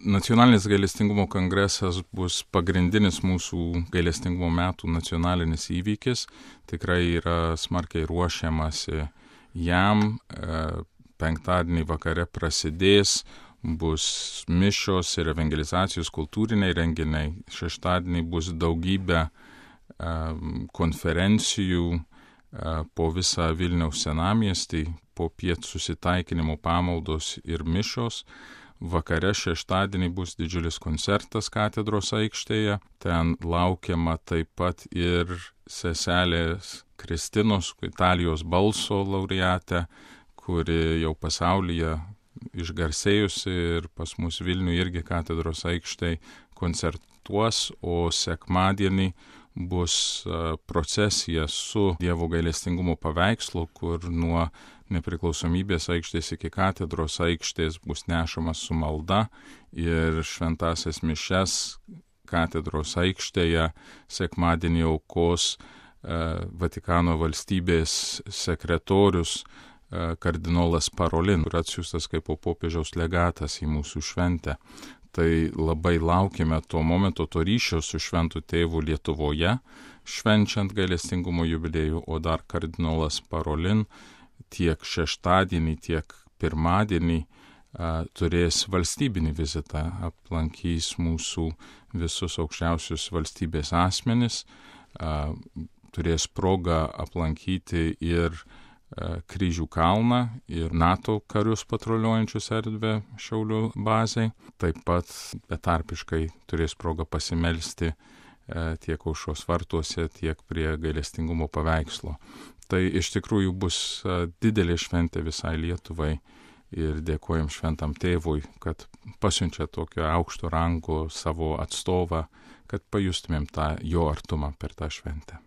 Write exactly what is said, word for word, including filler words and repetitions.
Nacionalinis gailestingumo kongresas bus pagrindinis mūsų gailestingumo metų nacionalinis įvykis. Tikrai yra smarkiai ruošiamasi jam. Penktadienį vakare prasidės, bus mišios ir evangelizacijos kultūriniai renginiai. Šeštadienį bus daugybė konferencijų po visą Vilniaus senamiestį, po piet susitaikinimo pamaldos ir mišios. Vakare šeštadienį bus didžiulis koncertas katedros aikštėje. Ten laukiama taip pat ir seselės Kristinos, Italijos balso laureatė, kuri jau pasaulyje išgarsėjusi ir pas mus Vilniuje irgi katedros aikštėje koncertuos, o sekmadienį bus procesija su Dievo gailestingumo paveikslu, kur nuo Nepriklausomybės aikštės iki katedros aikštės bus nešamas su malda ir šventąsias mišias katedros aikštėje sekmadienį aukos Vatikano valstybės sekretorius kardinolas Parolin, kur atsiųstas kaip popiežiaus legatas į mūsų šventę. Tai labai laukime to momento, to ryšio su šventu tėvu Lietuvoje, švenčiant gailestingumo jubiliejų, o dar kardinolas Parolin tiek šeštadienį, tiek pirmadienį a, turės valstybinį vizitą, aplankys mūsų visus aukščiausius valstybės asmenis, a, turės progą aplankyti ir Kryžių kalną ir NATO karius patruliuojančius erdvę Šiaulių bazei. Taip pat betarpiškai turės progą pasimelsti tiek aušros vartuose, tiek prie gailestingumo paveikslo. Tai iš tikrųjų bus didelė šventė visai Lietuvai ir dėkojam šventam tėvui, kad pasiunčia tokio aukšto rango savo atstovą, kad pajustumėm tą jo artumą per tą šventę.